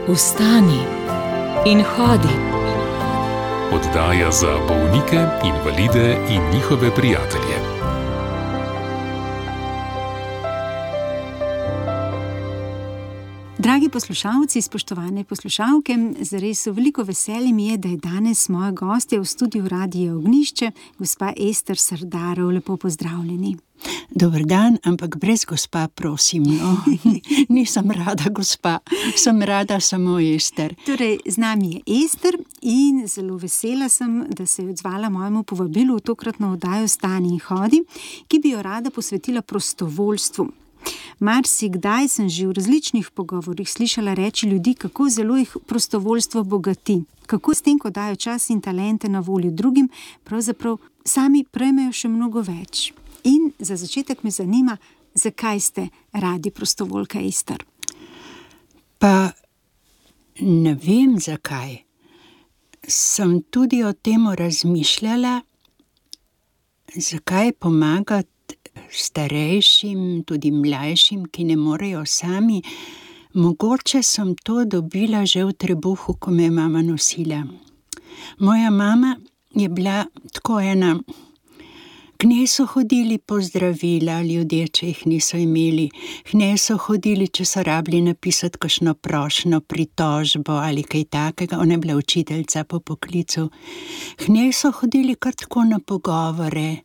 Vstani in hodi. Oddaja za bolnike, invalide in njihove prijatelje. Dragi poslušalci, spoštovane poslušalke, zares veliko veselje mi je, da je danes moja gostja v studiu Radia Ognjišče, gospa Ester Srdarov. Lepo pozdravljeni. Dober dan, ampak brez gospa, prosim. No. Nisem rada gospa, sem rada samo Ester. Torej, z nami je Ester in zelo vesela sem, da se je odzvala mojemu povabilu v tokratno oddajo Vstani in hodi, ki bi jo rada posvetila prostovoljstvu. Marsikdaj sem že v različnih pogovorih slišala reči ljudi, kako zelo jih prostovoljstvo bogati, kako s tem, ko dajo čas in talente na voljo drugim, pravzaprav sami prejmejo še mnogo več. In za začetek me zanima, zakaj ste radi prostovoljka, Ester? Pa ne vem zakaj. Sem tudi o tem razmišljala, zakaj pomagati starejšim, tudi mlajšim, ki ne morejo sami. Mogoče sem to dobila že v trebuhu, ko me je mama nosila. Moja mama je bila tako ena, k njej so hodili pozdravila ljudje, če jih niso imeli, k njej so hodili, če so rabili napisati kakšno prošnjo, pritožbo ali kaj takega, ona je bila učiteljica po poklicu. K njej so hodili kar tako na pogovore.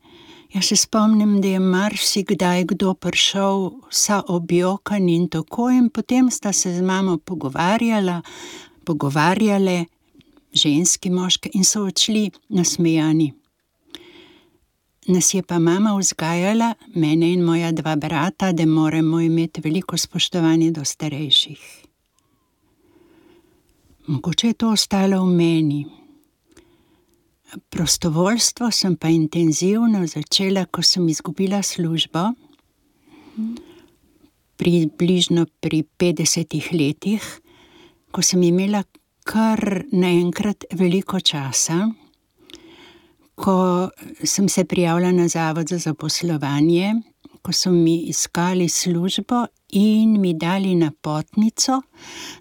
Jaz se spomnim, da je marsikdaj kdo prišel vsa objokan in tako, in potem sta se z mamo pogovarjale, ženski, moške, in so odšli nasmejani. Nas je pa mama vzgajala, mene in moja dva brata, da moramo imeti veliko spoštovanje do starejših. Mogoče je to ostalo v meni. Prostovoljstvo sem pa intenzivno začela, ko sem izgubila službo, približno pri 50 letih, ko sem imela kar naenkrat veliko časa, ko sem se prijavila na Zavod za zaposlovanje, ko so mi iskali službo in mi dali napotnico,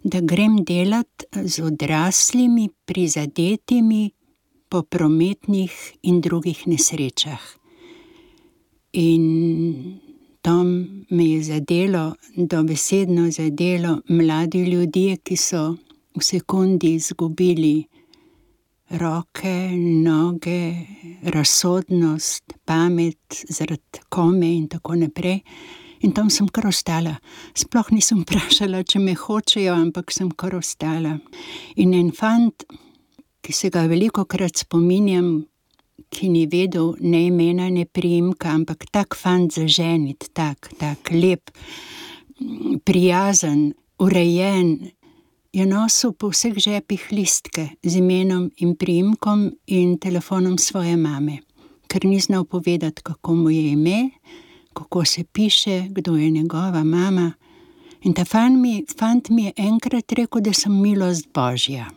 da grem delati z odraslimi, prizadetimi po prometnih in drugih nesrečah. In to me je zadelo, dobesedno zadelo, mladi ljudje, ki so v sekundi izgubili roke, noge, razsodnost, pamet zaradi kome in tako naprej. In tam sem kar ostala. Sploh nisem vprašala, če me hočejo, ampak sem kar ostala. In en fant, ki se ga velikokrat spominjam, ki ni vedel ne imena, ne priimka, ampak tak fant zaženit, tak lep, prijazen, urejen, je nosil po vseh žepih listke z imenom in priimkom in telefonom svoje mame, ker ni znal povedati, kako mu je ime, kako se piše, kdo je njegova mama. In ta fant mi je enkrat rekel, da sem milost Božja.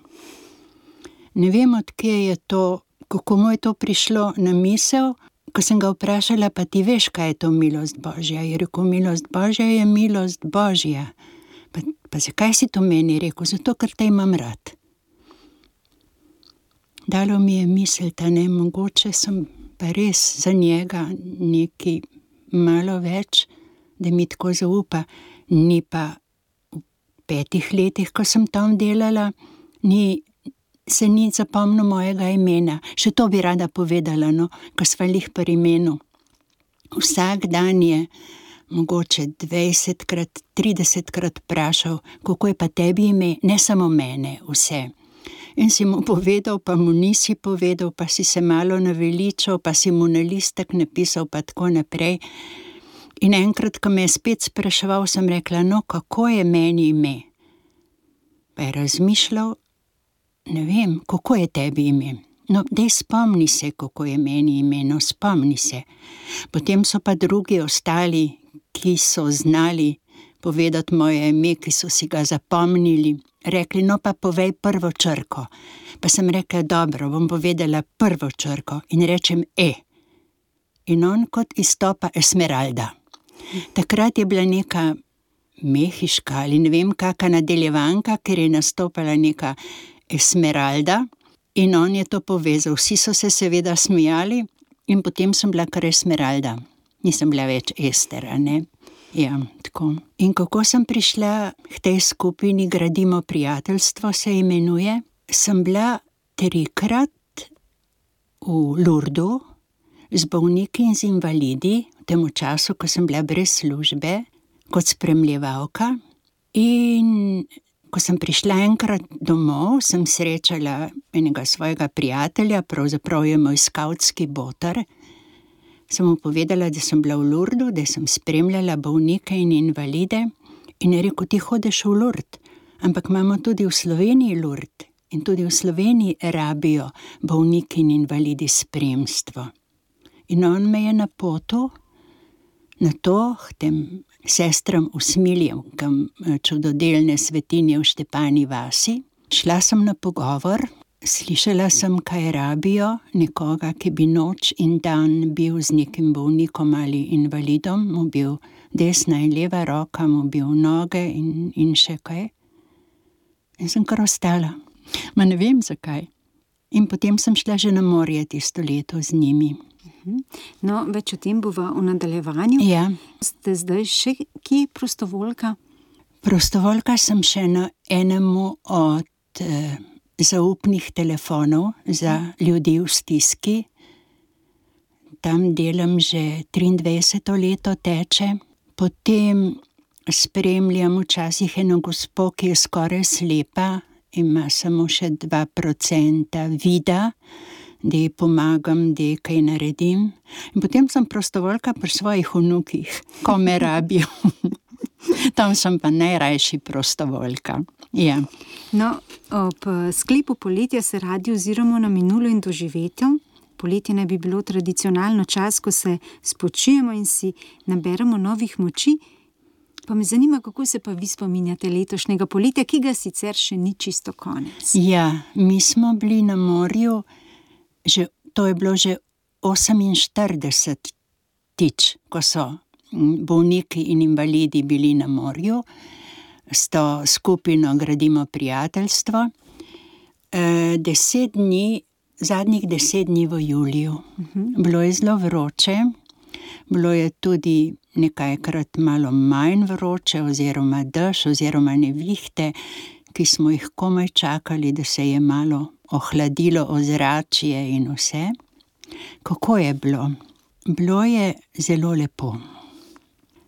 Ne vem, odkje je to, kako mu je to prišlo na misel, ko sem ga vprašala, pa ti veš, kaj je to milost Božja? Je rekel, milost Božja je milost Božja. Pa zakaj si to meni rekel? Zato, ker te imam rad. Dalo mi je misliti, ne, mogoče sem pa res za njega nekaj malo več, da mi tako zaupa. Ni pa v 5 letih, ko sem tam delala, se ni zapomnil mojega imena. Še to bi rada povedala, no, ko sva lih pri imenu. Vsak dan je mogoče 20-krat, 30-krat vprašal, kako je pa tebi ime, ne samo mene, vse. In si mu povedal, pa mu nisi povedal, pa si se malo naveličal, pa si mu na listek napisal, pa tako naprej. In enkrat, ko me je spet spraševal, sem rekla, no, kako je meni ime? Pa je razmišljal, ne vem, kako je tebi ime? No, daj spomni se, kako je meni ime, no, spomni se. Potem so pa drugi ostali, ki so znali povedati moje ime, ki so si ga zapomnili, rekli, no pa povej prvo črko. Pa sem rekla, dobro, bom povedala prvo črko in rečem E. In on kot izstopa Esmeralda. Takrat je bila neka mehiška ali ne vem kaka nadaljevanka, ker je nastopala neka Esmeralda in on je to povezal. Vsi so se seveda smejali in potem sem bila kar Esmeralda. Nisem bila več Ester, a ne? Ja, tako. In kako sem prišla k tej skupini Gradimo prijateljstvo, se imenuje? Sem bila 3-krat v Lurdu z bolniki in z invalidi, v tem času, ko sem bila brez službe, kot spremljevalka. In ko sem prišla enkrat domov, sem srečala enega svojega prijatelja, pravzaprav je moj skavtski boter. Sem mu povedala, da sem bila v Lurdu, da sem spremljala bolnike in invalide in je rekel, ti hodiš v Lurd, ampak imamo tudi v Sloveniji Lurd in tudi v Sloveniji rabijo bolniki in invalidi spremstvo. In on me je napotil na to, k tem sestram usmiljevkam čudodelne svetinje v Štepani vasi. Šla sem na pogovor, slišala sem, kaj rabijo, nekoga, ki bi noč in dan bil z nekim bolnikom ali invalidom, mu bil desna in leva roka, mu bil noge in še kaj. In sem kar ostala. Ma ne vem zakaj. In potem sem šla že na morje tisto leto z njimi. No, več o tem bova v nadaljevanju. Ja. Ste zdaj še kje prostovoljka? Prostovoljka sem še na enemu od zaupnih telefonov za ljudi v stiski. Tam delam že 23. leto teče. Potem spremljam včasih eno gospo, ki je skoraj slepa, ima samo še 2% vida, da ji pomagam, da ji kaj naredim. In potem sem prostovoljka pri svojih vnukih, ko me rabijo. Tam sem pa najrajši prostovoljka. Ja. No, ob sklepu poletja se radi oziramo na minulo in doživetje. Poletje naj bi bilo tradicionalno čas, ko se spočijemo in si naberemo novih moči. Pa me zanima, kako se pa vi spominjate letošnjega poletja, ki ga sicer še ni čisto konec. Ja, mi smo bili na morju, to je bilo že 48-tič, ko so bolniki in invalidi bili na morju. S to skupino Gradimo prijateljstvo. Zadnjih 10 dni v juliju. Bilo je zelo vroče, bilo je tudi nekajkrat malo manj vroče, oziroma dež, oziroma nevihte, ki smo jih komaj čakali, da se je malo ohladilo ozračje in vse. Kako je bilo? Bilo je zelo lepo.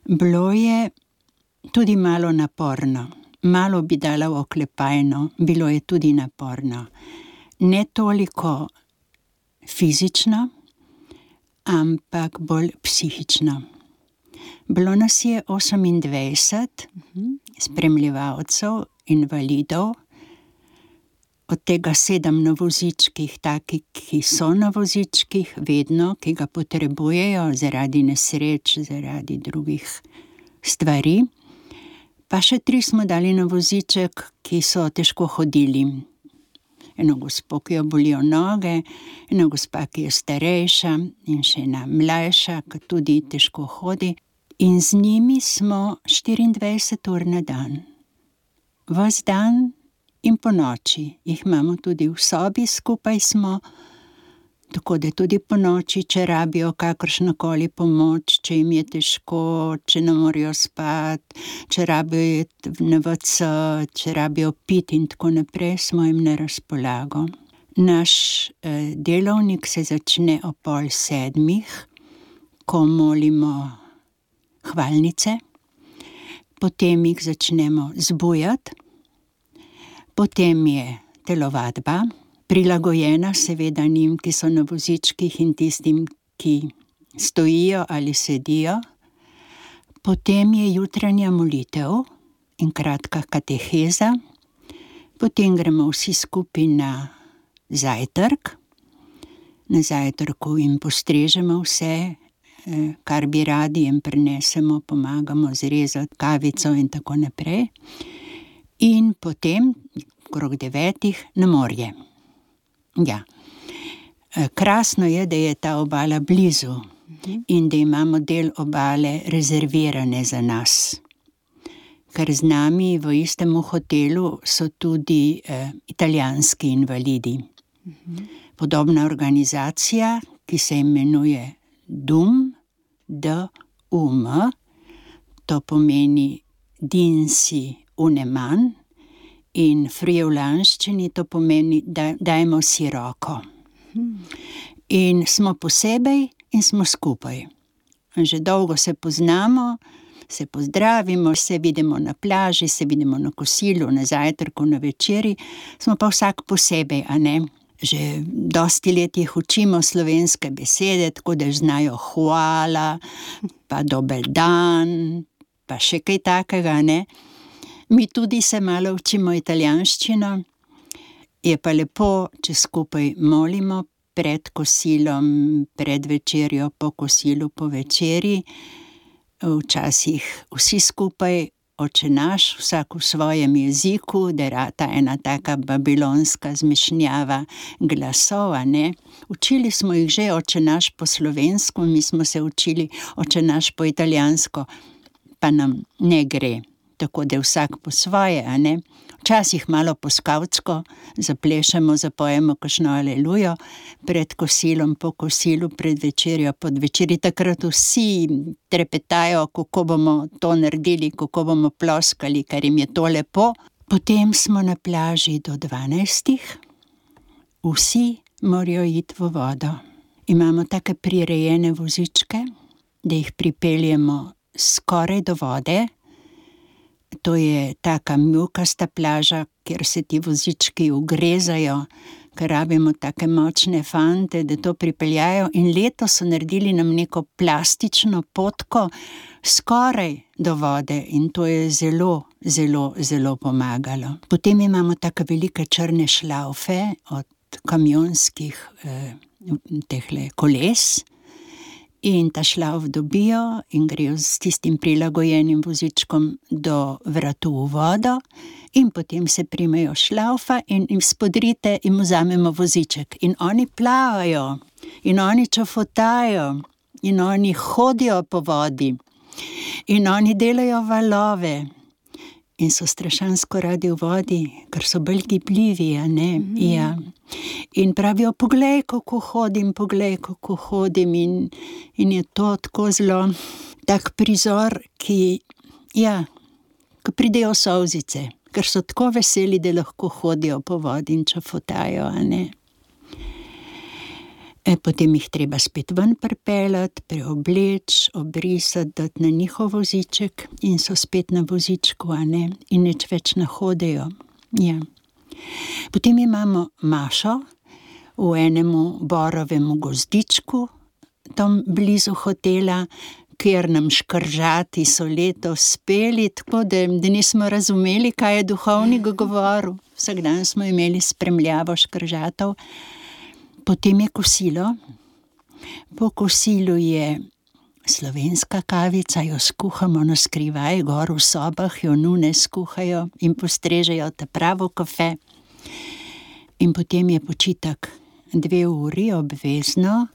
Bilo je tudi malo naporno. Malo bi dala v oklepajno, bilo je tudi naporno. Ne toliko fizično, ampak bolj psihično. Bilo nas je 28 spremljevalcev, invalidov, od tega 7 na vozičkih, taki, ki so na vozičkih vedno, ki ga potrebujejo zaradi nesreč, zaradi drugih stvari. Pa še 3 smo dali na voziček, ki so težko hodili. Eno gospo, ki jo bolijo noge, eno gospa, ki je starejša in še ena mlajša, ki tudi težko hodi. In z njimi smo 24 ur na dan. Ves dan in po noči. Jih imamo tudi v sobi, skupaj smo, tako da tudi po noči, če rabijo kakršnokoli pomoč, če jim je težko, če ne morejo spati, če rabijo iti na WC, če rabijo piti in tako naprej, smo jim na razpolago. Naš delovnik se začne ob 6:30, ko molimo hvalnice, potem jih začnemo zbujati, potem je telovadba, prilagojena seveda njim, ki so na vozičkih in tistim, ki stojijo ali sedijo. Potem je jutranja molitev in kratka kateheza. Potem gremo vsi skupaj na zajtrk. Na zajtrku jim postrežemo vse, kar bi radi, jim prinesemo, pomagamo zrezati kavico in tako naprej. In potem, okrog 9, na morje. Ja. Krasno je, da je ta obala blizu in da imamo del obale rezervirane za nas. ker z nami v istem hotelu so tudi italijanski invalidi. Podobna organizacija, ki se imenuje DUM, D-U-M, to pomeni Dinsi uneman, in friulanščini to pomeni dajmo si roko. In smo posebej in smo skupaj. Že dolgo se poznamo, se pozdravimo, se vidimo na plaži, se vidimo na kosilu, na zajtrku, na večeri, smo pa vsak posebej, a ne? Že dosti let jih učimo slovenske besede, tako da znajo hvala, pa dober dan, pa še kaj takega, ne? Mi tudi se malo učimo italijanščino, je pa lepo, če skupaj molimo pred kosilom, pred večerjo, po kosilu, po večeri. Včasih vsi skupaj, Oče naš, vsak v svojem jeziku, da rata ena taka babilonska zmešnjava glasov, a ne. Učili smo jih že Oče naš po slovensko, mi smo se učili Oče naš po italijansko, pa nam ne gre. Tako da vsak po svoje, a ne. Včasih malo po skavtsko zaplešemo, zapojemo kakšno alelujo pred kosilom, po kosilu, pred večerjo, pod večeri. Takrat vsi trepetajo, kako bomo to naredili, kako bomo ploskali, ker jim je to lepo. Potem smo na plaži do 12. Vsi morajo iti v vodo. Imamo take prirejene vozičke, da jih pripeljemo skoraj do vode. To je taka mjukasta plaža, kjer se ti vozički ugrezajo, ker rabimo take močne fante, da to pripeljajo. In letos so naredili nam neko plastično potko skoraj do vode in to je zelo, zelo, zelo pomagalo. Potem imamo take velike črne šlaufe od kamionskih tehle koles. In ta šlauf dobijo in grejo s tistim prilagojenim vozičkom do vratu v vodo in potem se primejo šlaufa in jim spodrite in vzamemo voziček. In oni plavajo, in oni čofotajo, in oni hodijo po vodi, in oni delajo valove. In so strašansko radi v vodi, ker so bolj gibljivi, a ne? Ja. In pravijo, poglej, kako hodim in je to tako zelo tak prizor, ki, ja, ko pridejo solzice, ker so tako veseli, da lahko hodijo po vodi in čofotajo, a ne? Potem jih treba spet ven pripeljati, preobleči, obrisati, dati na njihov voziček in so spet na vozičku, a ne? In nič več ne hodijo. Ja. Potem imamo mašo v enemu borovemu gozdičku, tam blizu hotela, kjer nam škržati so letos speli, tako da nismo razumeli, kaj je duhovnik govoril. Vsak dan smo imeli spremljavo škržatov. Potem je kosilo. Po kosilu je slovenska kavica, jo skuhamo na skrivaj, gor v sobah jo nune skuhajo in postrežejo ta pravo kafe. In potem je počitek 2 uri obvezno.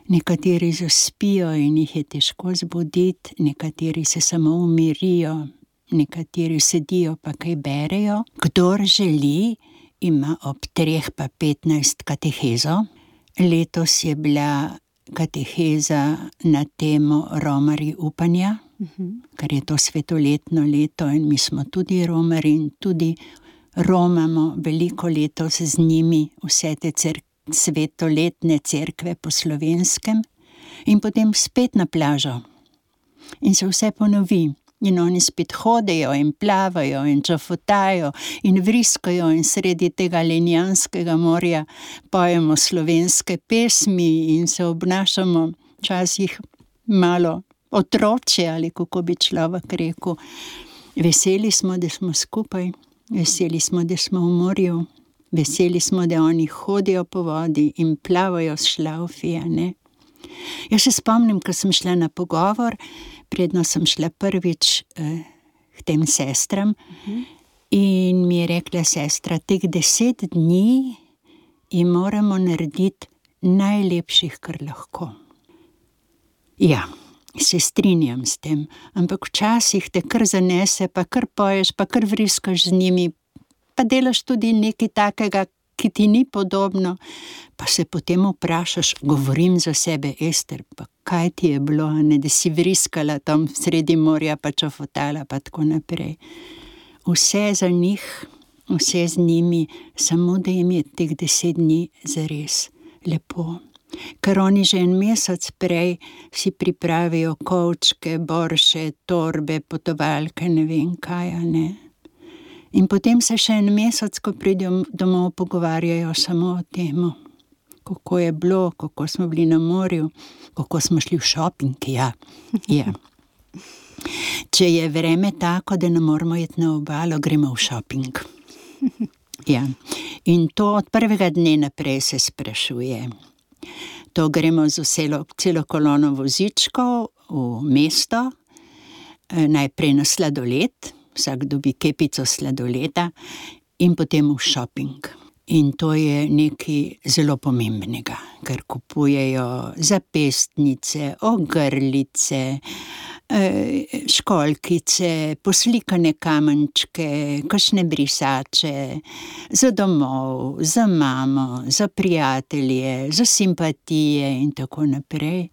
Nekateri zaspijo in jih je težko zbuditi, nekateri se samo umirijo, nekateri sedijo pa kaj berejo. Kdor želi, ima ob 3:15 katehezo. Letos je bila kateheza na temo Romarji upanja, ker je to svetoletno leto in mi smo tudi romarji in tudi romamo veliko letos z njimi vse te svetoletne cerkve po slovenskem. In potem spet na plažo. In se vse ponovi. In oni spet hodijo in plavajo in čofotajo in vriskajo in sredi tega Lenjanskega morja pojemo slovenske pesmi in se obnašamo včasih malo otročje, ali kako bi človek rekel. Veseli smo, da smo skupaj, veseli smo, da smo v morju, veseli smo, da oni hodijo po vodi in plavajo s šlaufi, a ne. Jaz se spomnim, ko sem šla na pogovor, predno sem šla prvič k tem sestram in mi je rekla sestra, teh 10 dni jim moramo narediti najlepših, kar lahko. Ja, Se strinjam s tem, ampak včasih te kar zanese, pa kar poješ, pa kar vriskaš z njimi, pa delaš tudi nekaj takega, ki ti ni podobno, pa se potem vprašaš, govorim za sebe, Ester, pa kaj ti je bilo, ne, da si vriskala tam sredi morja, pa čofotala, pa tako naprej. Vse za njih, vse z njimi, samo da jim je teh 10 dni zares lepo. Ker oni že en mesec prej si pripravijo kovčke, borše, torbe, potovalke, ne vem kaj, a ne. In potem se še en mesec, ko pridejo domov, pogovarjajo samo o tem, kako je bilo, kako smo bili na morju, kako smo šli v šoping, ja. Če je vreme tako, da ne moramo iti na obalo, gremo v šoping. Ja. In to od prvega dne naprej se sprašuje. To gremo z celo kolono vozičkov v mesto, najprej na sladoled, vsak dobi kepico sladoleda in potem v šoping. In to je nekaj zelo pomembnega, ker kupujejo zapestnice, ogrlice, školjkice, poslikane kamenčke, kakšne brisače, za domov, za mamo, za prijatelje, za simpatije in tako naprej.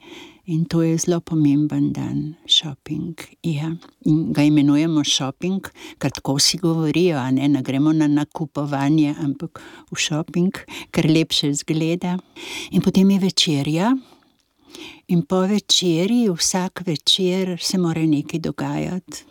In to je zelo pomemben dan, šoping, ja. In ga imenujemo šoping, ker tako vsi govorijo, a ne gremo na nakupovanje, ampak v šoping, ker lepše izgleda. In potem je večerja. In po večerji, vsak večer se mora nekaj dogajati.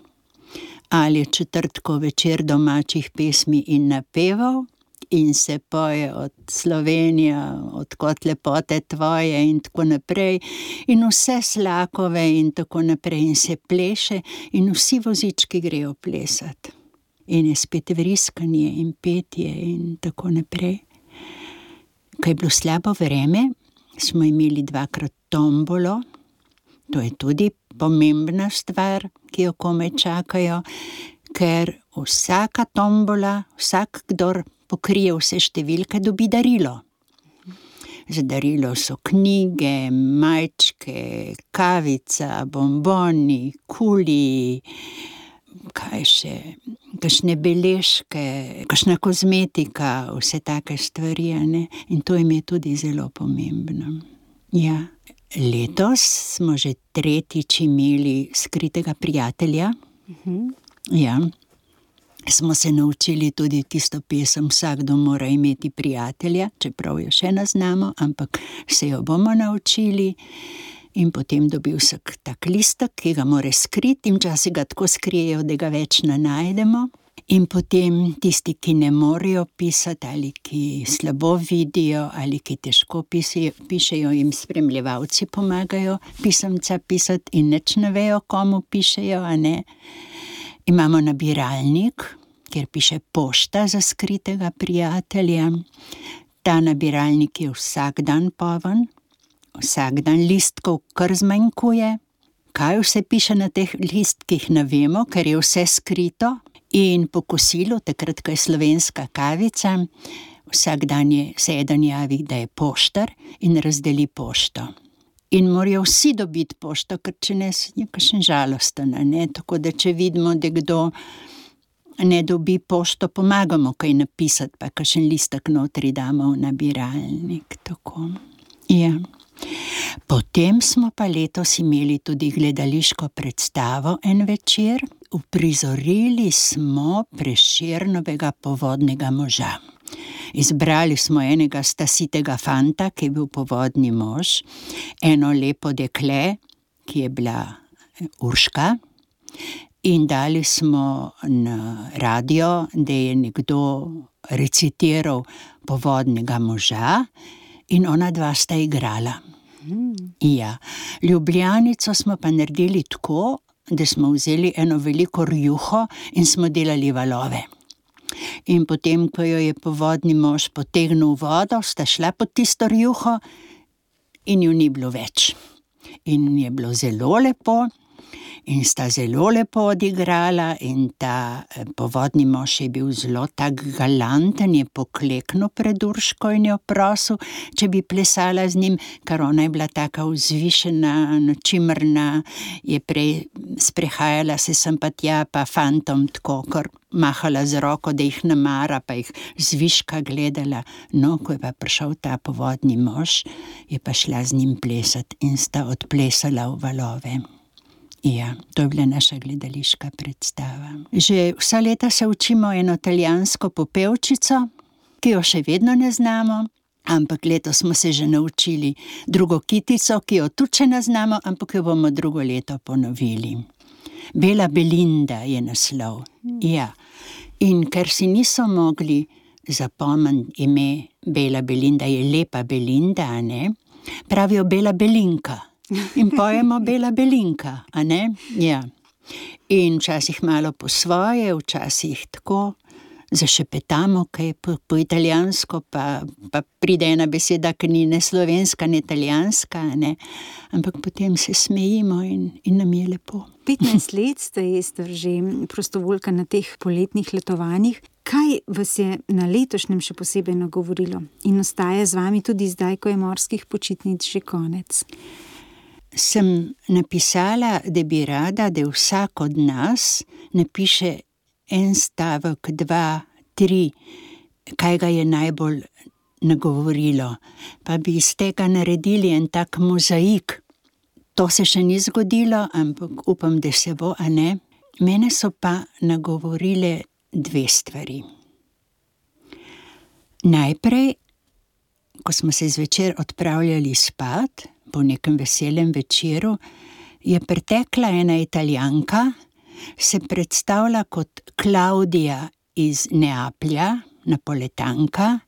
Ali je četrtkov večer domačih pesmi in napevov in se poje od Slovenija, od kot lepote tvoje in tako naprej. In vse slakove in tako naprej in se pleše in vsi vozički grejo plesati. In je spet vriskanje in petje in tako naprej. Ko je bilo slabo vreme, smo imeli 2-krat tombolo, to je tudi pomembna stvar, ki jo komaj čakajo, ker vsaka tombola, vsak, kdor pokrije vse številke, dobi darilo. Za darilo so knjige, majčke, kavica, bomboni, kuli, kaj še, kakšne beležke, kakšna kozmetika, vse take stvari, ne? In to jim je tudi zelo pomembno. Ja. Letos smo že 3. imeli skritega prijatelja. Ja. Smo se naučili tudi tisto pesem Vsakdo mora imeti prijatelja, čeprav jo še ne znamo, ampak se jo bomo naučili. In potem dobi vsak tak listek, ki ga mora skriti in včasih ga tako skrijejo, da ga več ne najdemo. In potem tisti, ki ne morejo pisati ali ki slabo vidijo ali ki težko pišejo, jim spremljevalci pomagajo pisemca pisati in nič ne vejo, komu pišejo, a ne. Imamo nabiralnik, kjer piše pošta za skritega prijatelja. Ta nabiralnik je vsak dan poln, vsak dan listkov kar zmanjkuje. Kaj vse piše na teh listkih, ne vemo, ker je vse skrito. In po kosilu, takrat, ko je slovenska kavica, vsak dan se eden javi, da je poštar in razdeli pošto. In morajo vsi dobiti pošto, ker če ne, je kakšen žalosten, ne? Tako da če vidimo, da kdo ne dobi pošto, pomagamo kaj napisati, pa kakšen listek notri damo v nabiralnik, tako. Ja. Potem smo pa letos imeli tudi gledališko predstavo en večer. Uprizorili smo Prešernovega Povodnega moža. Izbrali smo enega stasitega fanta, ki je bil povodni mož, eno lepo dekle, ki je bila Urška, in dali smo na radio, da je nekdo recitiral Povodnega moža in ona dva sta igrala. Ja. Ljubljanico smo pa naredili tako, da smo vzeli eno veliko rjuho in smo delali valove. In potem, ko jo je povodni mož potegnil vodo, sta šla pod tisto rjuho in jo ni bilo več. In je bilo zelo lepo in sta zelo lepo odigrala in ta povodni mož je bil zelo tak galanten, je pokleknil pred Urško in jo prosil, če bi plesala z njim, ker ona je bila taka vzvišena, čimrna, je prej sprehajala se sem pa tja, pa fantom tako, kar mahala z roko, da jih namara, pa jih zviška gledala. No, ko je pa prišel ta povodni mož, je pa šla z njim plesati in sta odplesala v valove. Ja, to je bila naša gledališka predstava. Že vsa leta se učimo eno italijansko popevčico, ki jo še vedno ne znamo, ampak letos smo se že naučili drugo kitico, ki jo tudi še ne znamo, ampak jo bomo drugo leto ponovili. Bela Belinda je naslov. Ja. In ker si niso mogli zapomniti ime Bela Belinda, je lepa Belinda, a ne? Pravijo Bela Belinka. In pojemo Bela Belinka, a ne? Ja. In včasih malo po svoje, včasih tako, zašepetamo kaj po italijansko, pa pride ena beseda, ki ni ne slovenska, ne italijanska, ne? Ampak potem se smejimo in nam je lepo. 15 let ste, Ester, že prostovoljka na teh poletnih letovanjih. Kaj vas je na letošnjem še posebej nagovorilo in ostaja z vami tudi zdaj, ko je morskih počitnic že konec? Sem napisala, da bi rada, da vsak od nas napiše en stavek, 2, 3, kaj ga je najbolj nagovorilo. Pa bi iz tega naredili en tak mozaik. To se še ni zgodilo, ampak upam, da se bo, a ne? Mene so pa nagovorile 2 stvari. Najprej, ko smo se zvečer odpravljali spat, po nekem veselem večeru, je pretekla ena Italijanka, se predstavlja kot Klaudija iz Neaplja, Napoletanka,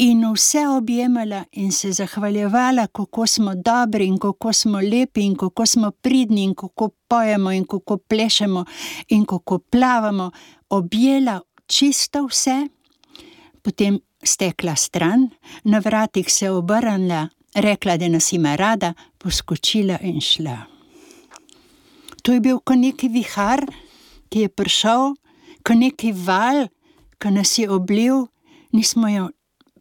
in vse objemala in se zahvaljevala, kako smo dobri in kako smo lepi in kako smo pridni in kako pojemo in kako plešemo in kako plavamo. Objela čisto vse, potem stekla stran, na vratih se obrnila, rekla, da nas ima rada, poskočila in šla. To je bil kot neki vihar, ki je prišel, kot neki val, ki nas je oblil. Nismo jo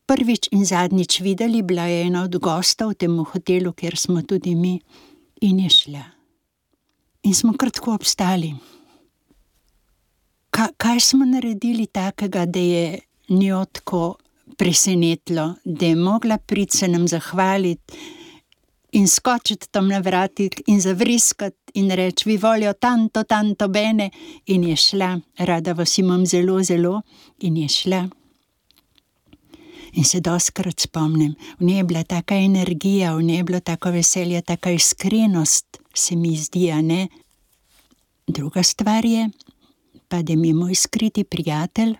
prvič in zadnjič videli, bila je ena od gostov v tem hotelu, kjer smo tudi mi, in je šla. In smo kar tako obstali. Kaj smo naredili takega, da je njo tako presenetilo, da je mogla priti se nam zahvaliti in skočiti tam na vratih in zavriskati in reči, vi voljo tanto bene, in je šla. Rada vas imam zelo, zelo, in je šla. In se dostikrat spomnim, v njej je bila taka energija, v njej je bilo tako veselje, taka iskrenost, se mi zdi, a ne? Druga stvar je, pa da mi je moj skriti prijatelj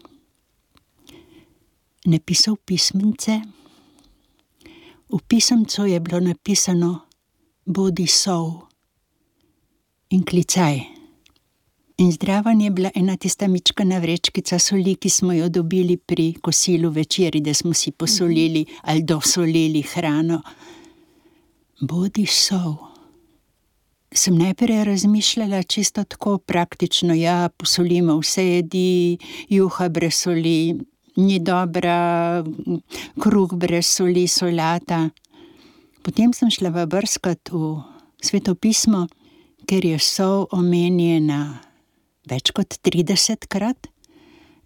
napisal pismence. V pisemcu je bilo napisano bodi sol in klicaj. In zdraven je bila ena tista mičkana vrečkica soli, ki smo jo dobili pri kosilu večeri, da smo si posolili ali dosolili hrano. Bodi sol. Sem najprej razmišljala čisto tako praktično, ja, posolimo vse jedi, juha brez soli, ni dobra, kruh brez soli, solata. Potem sem šla brskat v Sveto pismo, ker je sol omenjena več kot 30-krat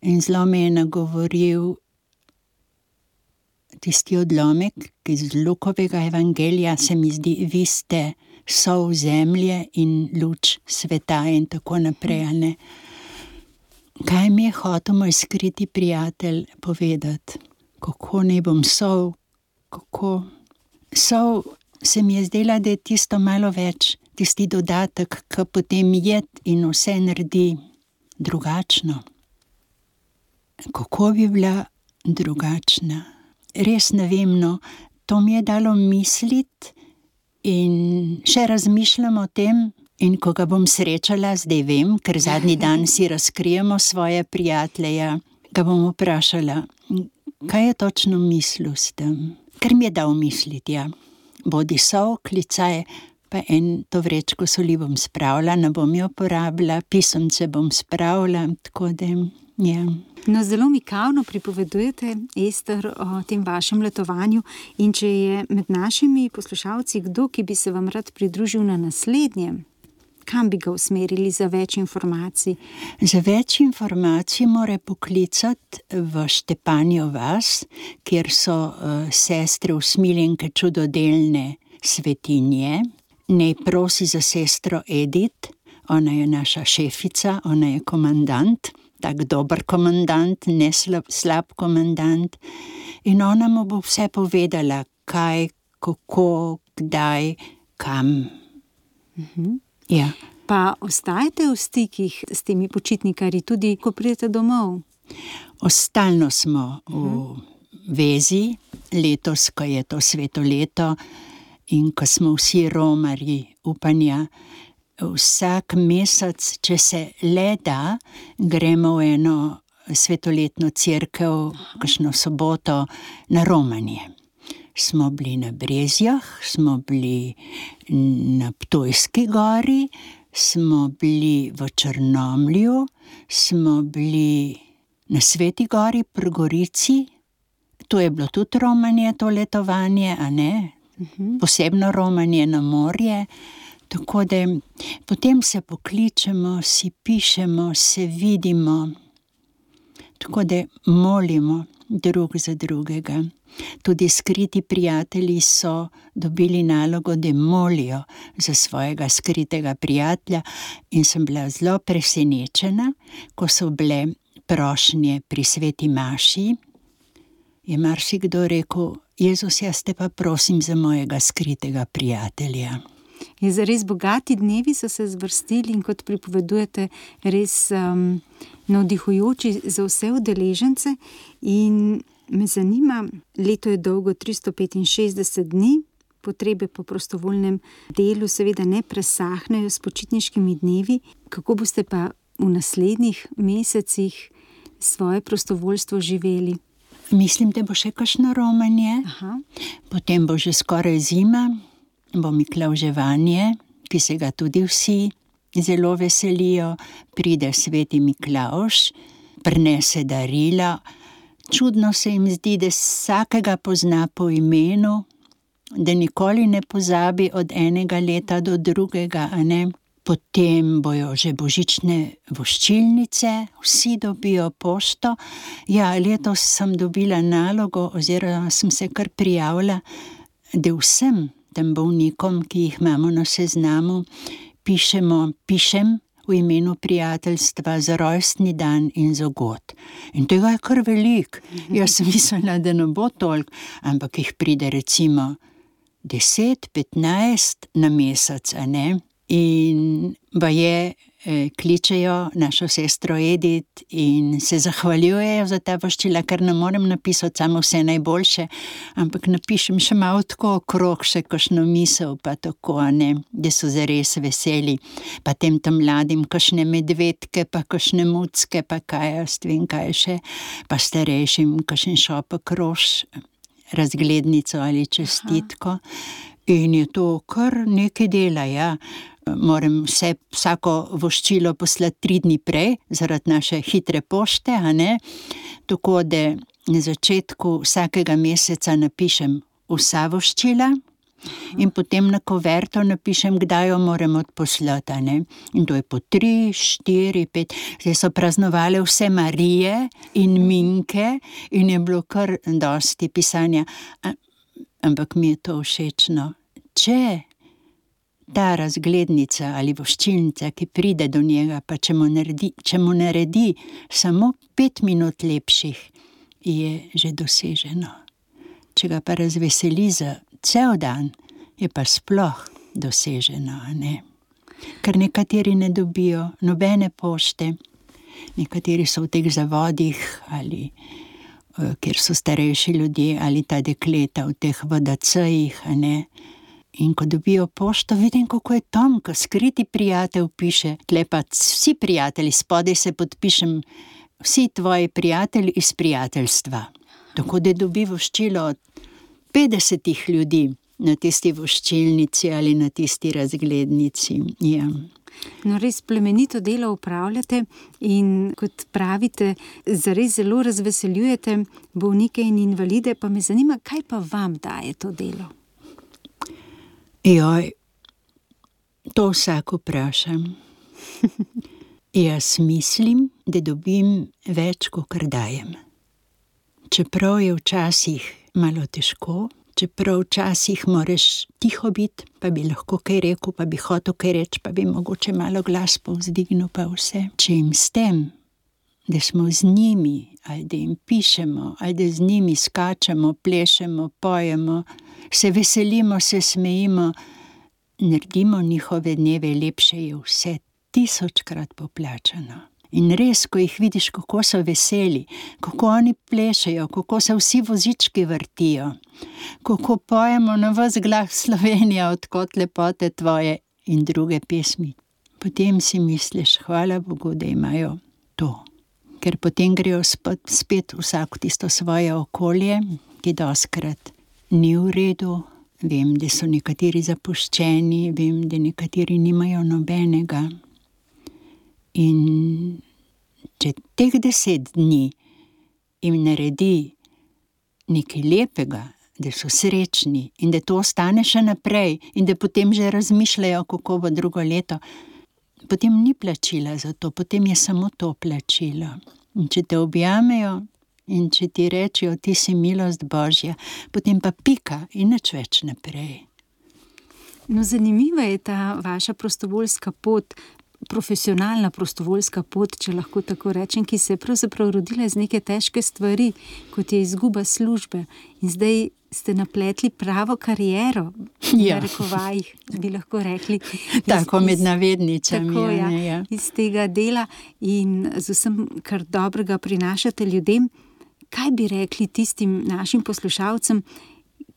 in zelo me je nagovoril tisti odlomek, ki iz Lukovega evangelija se mi zdi, vi ste sol zemlje in luč sveta in tako naprej, ne. Kaj mi je hotel moj skriti prijatelj povedati? Kako naj bom sol? Kako? Sol se mi je zdela, da je tisto malo več, tisti dodatek, ki potem jed in vse naredi drugačno. Kako bi bila drugačna? Res ne vem, no, to mi je dalo misliti in še razmišljam o tem, in ko ga bom srečala, zdaj vem, ker zadnji dan si razkrijemo svoje prijatelje, ga bom vprašala, kaj je točno mislil s tem? Ker mi je dal misliti, ja. Bodi sol, klicaj, pa to vrečko soli bom spravila, ne bom jo porabila, pisemce bom spravila, tako da, ja. No, zelo mikavno pripovedujete, Ester, o tem vašem letovanju, in če je med našimi poslušalci kdo, ki bi se vam rad pridružil na naslednjem, kam bi ga usmerili za več informacij? Za več informacij mora poklicati v Štepanjo vas, kjer so sestre usmiljenke čudodelne svetinje. Ne prosi za sestro Edith, ona je naša šefica, ona je komandant, tak dober komandant, ne slab komandant. In ona mu bo vse povedala, kaj, kako, kdaj, kam. Ja. Pa ostajate v stikih s temi počitnikarji tudi, ko pridete domov? Stalno smo v vezi, letos, ko je to sveto leto in ko smo vsi romarji upanja, vsak mesec, če se le da, gremo v eno svetoletno cerkev, kakšno soboto, na romanje. Smo bili na Brezjah, smo bili na Ptujski gori, smo bili v Črnomlju, smo bili na Sveti gori pri Gorici. To je bilo tudi romanje, to letovanje, a ne? Posebno romanje na morje. Tako da potem se pokličemo, si pišemo, se vidimo. Tako da molimo drug za drugega. Tudi skriti prijatelji so dobili nalogo, da molijo za svojega skritega prijatelja, in sem bila zelo presenečena, ko so bile prošnje pri sveti maši. Je marsikdo rekel: Jezus, jaz te pa prosim za mojega skritega prijatelja. Je zares bogati dnevi so se zvrstili in, kot pripovedujete, res navdihujoči za vse udeležence. In me zanima, leto je dolgo 365 dni, potrebe po prostovoljnem delu seveda ne presahnejo s počitniškimi dnevi. Kako boste pa v naslednjih mesecih svoje prostovoljstvo živeli? Mislim, da bo še kakšno romanje. Potem bo že skoraj zima, bo Miklavževanje, ki se ga tudi vsi zelo veselijo. Pride sveti Miklavž, prinese darila. Čudno se jim zdi, da vsakega pozna po imenu, da nikoli ne pozabi od enega leta do drugega, a ne? Potem bojo že božične voščilnice, vsi dobijo pošto. Ja, letos sem dobila nalogo, oziroma sem se kar prijavila, da vsem tem bolnikom, ki jih imamo na seznamu, pišem v imenu prijateljstva za rojstni dan in za god. In tega je kar veliko. Jaz sem mislila, da ne bo toliko, ampak jih pride recimo 10-15 na mesec, a ne? In baje kličejo našo sestro Edith in se zahvaljujejo za ta voščila, ker ne morem napisati samo vse najboljše, ampak napišem še malo tako okrog, še kakšno misel, pa tako, a ne, da so zares veseli. Pa tem mladim kakšne medvedke, pa kakšne mucke, pa kaj jaz vem kaj še, pa starejšim kakšen šopek rož, razglednico ali čestitko. In je to kar nekaj dela, ja. Moram vsako voščilo poslati 3 dni prej, zaradi naše hitre pošte, a ne. Tako da na začetku vsakega meseca napišem vsa voščila in potem na kuverto napišem, kdaj jo moram odposlati, a ne. In to je po 3, 4, 5. Zdaj so praznovale vse Marije in Minke in je bilo kar dosti pisanja. Ampak mi je to všečno. Če ta razglednica ali voščilnica, ki pride do njega, pa če mu naredi samo 5 minut lepših, je že doseženo. Če ga pa razveseli za cel dan, je pa sploh doseženo, a ne? Ker nekateri ne dobijo nobene pošte, nekateri so v teh zavodih ali kjer so starejši ljudje ali ta dekleta v teh VDC-jih, a ne? In ko dobijo pošto, vidim, kako je tanko, skriti prijatelj piše, tle pa vsi prijatelji, spodaj se podpišem, vsi tvoji prijatelji iz prijateljstva. Tako da dobi voščilo od 50 ljudi, na tisti voščilnici ali na tisti razglednici. Ja. No, res plemenito delo opravljate in kot pravite, zares zelo razveseljujete bolnike in invalide, pa me zanima, kaj pa vam daje to delo? Joj, to vsak vprašam. Jaz mislim, da dobim več, kakor dajem. Čeprav je včasih malo težko, čeprav včasih moraš tiho biti, pa bi lahko kaj rekel, pa bi hotel kaj reči, pa bi mogoče malo glas povzdignil, pa vse. Če jim s tem, da smo z njimi, ali da jim pišemo, ali da z njimi skačemo, plešemo, pojemo, se veselimo, se smejimo, naredimo njihove dneve lepše, je vse 1000-krat poplačano. In res, ko jih vidiš, kako so veseli, kako oni plešejo, kako se vsi vozički vrtijo, kako pojemo na ves glas Slovenija, odkot lepote tvoje in druge pesmi. Potem si misliš, hvala Bogu, da imajo to. Ker potem grejo spet vsak v tisto svoje okolje, ki dostikrat ni v redu. Vem, da so nekateri zapuščeni, vem, da nekateri nimajo nobenega. In če teh 10 dni jim naredi nekaj lepega, da so srečni in da to ostane še naprej in da potem že razmišljajo, kako bo drugo leto, potem ni plačila za to, potem je samo to plačilo. In če te objamejo in če ti rečejo, ti si milost Božja, potem pa pika in nič več naprej. No, zanimiva je ta vaša prostovoljska pot, profesionalna prostovoljska pot, če lahko tako rečem, ki se je pravzaprav rodila iz neke težke stvari, kot je izguba službe. In zdaj ste napletli pravo kariero, v narekovajih, bi lahko rekli. Tako med navednicami. Tako, ja, iz tega dela in z vsem, kar dobrega prinašate ljudem. Kaj bi rekli tistim našim poslušalcem,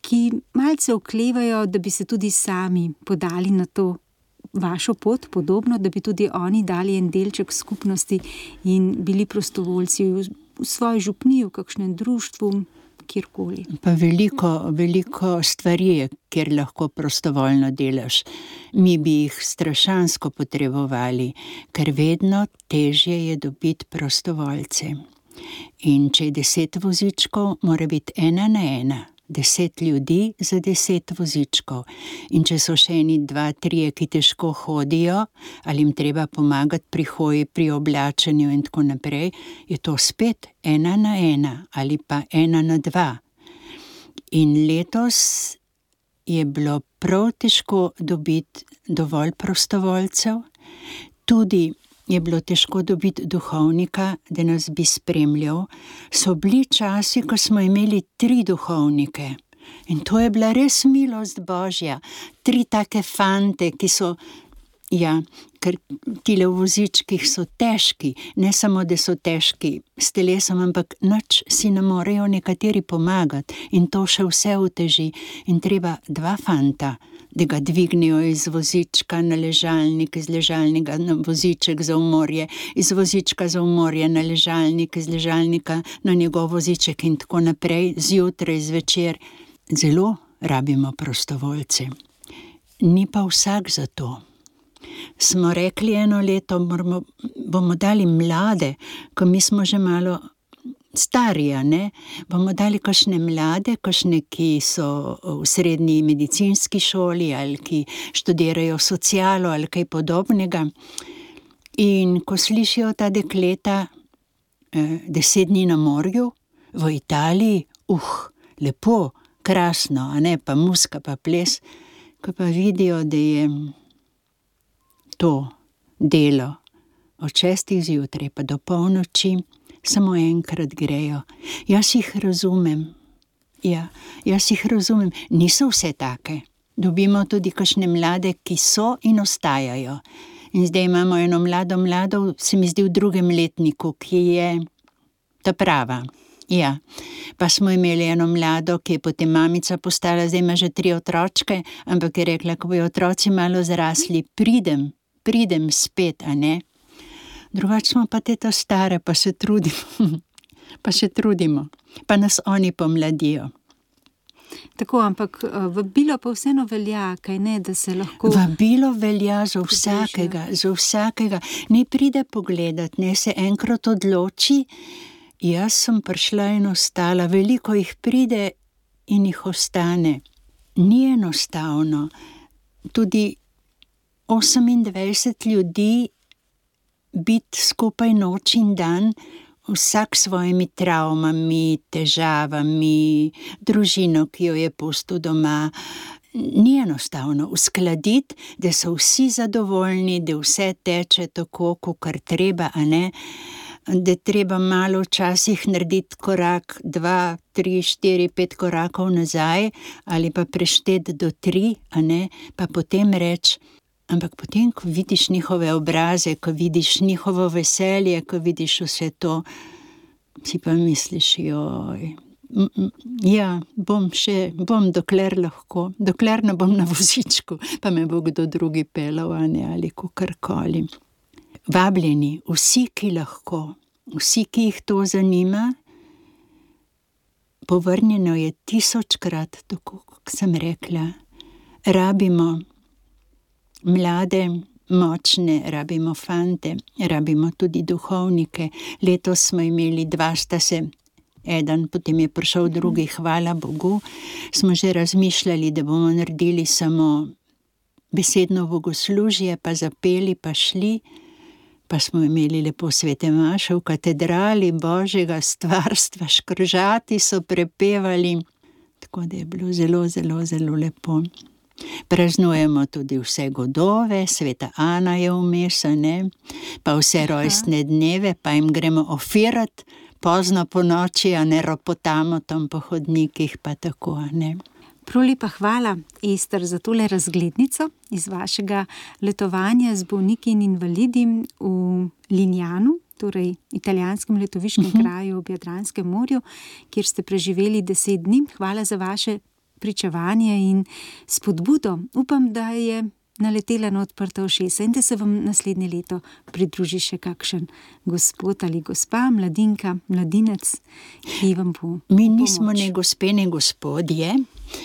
ki malce oklevajo, da bi se tudi sami podali na to vašo pot, podobno, da bi tudi oni dali en delček skupnosti in bili prostovoljci v svoji župniji, v kakšnem društvu, kjerkoli? Pa veliko stvari je, kjer lahko prostovoljno delaš. Mi bi jih strašansko potrebovali, ker vedno težje je dobiti prostovoljce. In če je 10 vozičkov, mora biti 1 na 1. 10 ljudi za 10 vozičkov. In če so še eni 2, 3, ki težko hodijo, ali jim treba pomagati pri hoji, pri oblačenju in tako naprej, je to spet 1 na 1 ali pa 1 na 2. In letos je bilo prav težko dobiti dovolj prostovoljcev, tudi je bilo težko dobiti duhovnika, da nas bi spremljal. So bili časi, ko smo imeli 3 duhovnike. In to je bila res milost Božja. 3 take fante, ki so, ker tile v vozičkih so težki. Ne samo, da so težki s telesom, ampak nič si ne morejo nekateri pomagati. In to še vse uteži. In treba 2 fanta, da ga dvignejo iz vozička na ležalnik, iz ležalnika na voziček za umorje, iz vozička za umorje na ležalnik, iz ležalnika na njegov voziček in tako naprej, zjutraj, zvečer. Zelo rabimo prostovoljce. Ni pa vsak za to. Smo rekli eno leto, bomo dali mlade, ko mi smo že malo starija, ne? Bomo dali kakšne mlade, kakšne, ki so v srednji medicinski šoli ali ki študirajo socialo ali kaj podobnega. In ko slišijo ta dekleta 10 dni na morju v Italiji, lepo, krasno, a ne, pa muzika, pa ples, ko pa vidijo, da je to delo od 6 zjutraj pa do polnoči, samo enkrat grejo. Jaz jih razumem. Jaz jih razumem. Niso vse take. Dobimo tudi kakšne mlade, ki so in ostajajo. In zdaj imamo eno mlado, se mi zdi v 2. letniku, ki je ta prava. Pa smo imeli eno mlado, ki je potem mamica postala, zdaj ima že 3 otročke, ampak je rekla, ko bojo otroci malo zrasli, pridem spet, a ne? Drugače smo pa te stare, pa se trudimo. Pa nas oni pomladijo. Tako, ampak vabilo pa vseeno velja, kaj ne, da se lahko... Vabilo velja za vsakega. Ne pride pogledat, ne se enkrat odloči. Jaz sem prišla in ostala. Veliko jih pride in jih ostane. Ni enostavno. Tudi 28 ljudi biti skupaj noč in dan, vsak s svojimi travmami, težavami, družino, ki jo je pustil doma. Ni enostavno uskladiti, da so vsi zadovoljni, da vse teče tako, kakor treba, a ne? Da treba malo včasih narediti korak, 2, 3, 4, 5 korakov nazaj ali pa prešteti do 3, a ne? Pa potem reči, ampak potem, ko vidiš njihove obraze, ko vidiš njihovo veselje, ko vidiš vse to, si pa misliš, joj, ja, bom dokler lahko, dokler ne bom na vozičku, pa me bo kdo drugi pelal, a ne, ali kakorkoli. Vabljeni, vsi, ki lahko, vsi, ki jih to zanima, povrnjeno je 1000-krat, tako kot sem rekla. Rabimo mlade, močne, rabimo fante, rabimo tudi duhovnike. Letos smo imeli 2, sta se, eden, potem je prišel drugi, hvala Bogu. Smo že razmišljali, da bomo naredili samo besedno bogoslužje, pa zapeli, pa šli. Pa smo imeli lepo svete maše v katedrali Božjega stvarstva, škržati so prepevali, tako da je bilo zelo, zelo, zelo lepo. Praznujemo tudi vse godove, sveta Ana je vmes, ne? Pa vse rojstne dneve, pa jim gremo ofirati pozno po noči, a ne ropotamo tam po hodnikih, pa tako, a ne. Prav lepa hvala, Ester, za tole razglednico iz vašega letovanja z bolniki in invalidi v Lignanu, torej italijanskem letoviškem kraju ob Jadranskem morju, kjer ste preživeli 10 dni. Hvala za vaše pričevanje in spodbudo. Upam, da je naletela na odprta ušesa in da se vam naslednje leto pridruži še kakšen gospod ali gospa, mladinka, mladinec, ki vam bo Mi nismo ne gospe, ne gospodje,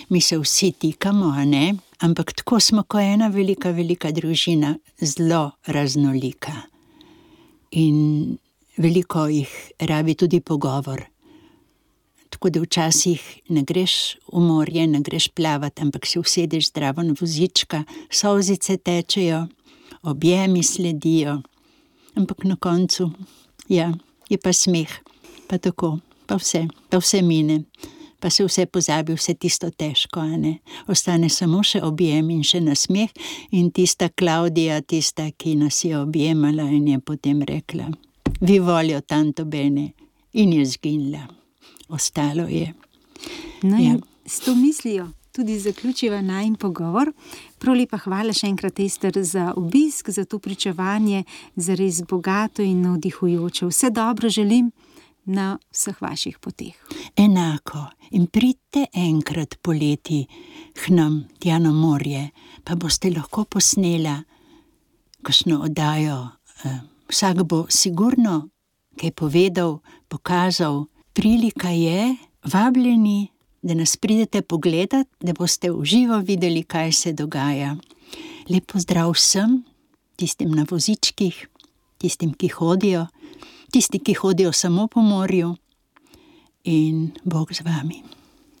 mi se vsi tikamo, a ne? Ampak tako smo kot ena velika, velika družina, zelo raznolika. In veliko jih rabi tudi pogovor. Tako da včasih ne greš v morje, ne greš plavat, ampak se usedeš zdravo na vozička, solzice tečejo, objemi sledijo, ampak na koncu, ja, je pa smeh, pa tako, pa vse mine, pa se vse pozabi, vse tisto težko, a ne. Ostane samo še objem in še nasmeh in tista Klaudija, tista, ki nas je objemala in je potem rekla, vi voglio tanto bene, in je zginila. Ostalo je. No in s to mislijo tudi zaključiva najin pogovor. Prav lepa hvala še enkrat, Ester, za obisk, za to pričevanje, za res bogato in navdihujoče. Vse dobro želim na vseh vaših poteh. Enako. In pridite enkrat poleti k nam, tja na morje, pa boste lahko posnela kakšno oddajo. Vsak bo sigurno kaj povedal, pokazal. Prilika je, vabljeni, da nas pridete pogledat, da boste v živo videli, kaj se dogaja. Lep pozdrav vsem, tistim na vozičkih, tistim, ki hodijo, tisti, ki hodijo samo po morju in Bog z vami.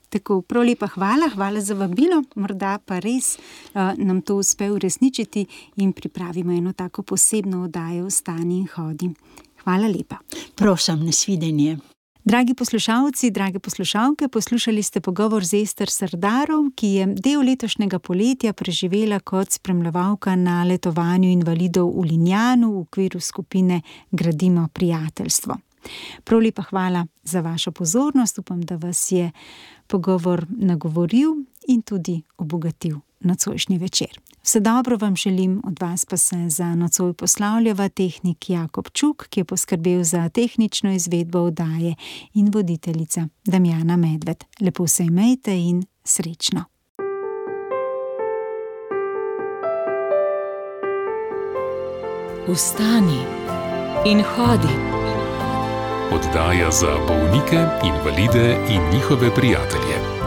Tako, prav lepa hvala za vabilo, morda pa res nam to uspe uresničiti in pripravimo eno tako posebno oddajo Vstani in hodi. Hvala lepa. Prosim, nasvidenje. Dragi poslušalci, drage poslušalke, poslušali ste pogovor z Ester Sardarov, ki je del letošnjega poletja preživela kot spremljevalka na letovanju invalidov v Lignanu v okviru skupine Gradimo prijateljstvo. Prav lepa hvala za vašo pozornost, upam, da vas je pogovor nagovoril in tudi obogatil nocojšnji večer. Vse dobro vam želim, od vas pa se za nocoj poslavljava tehnik Jakob Čuk, ki je poskrbel za tehnično izvedbo oddaje, in voditeljica Damjana Medved. Lepo se imejte in srečno. Vstani in hodi. Oddaja za bolnike, invalide in njihove prijatelje.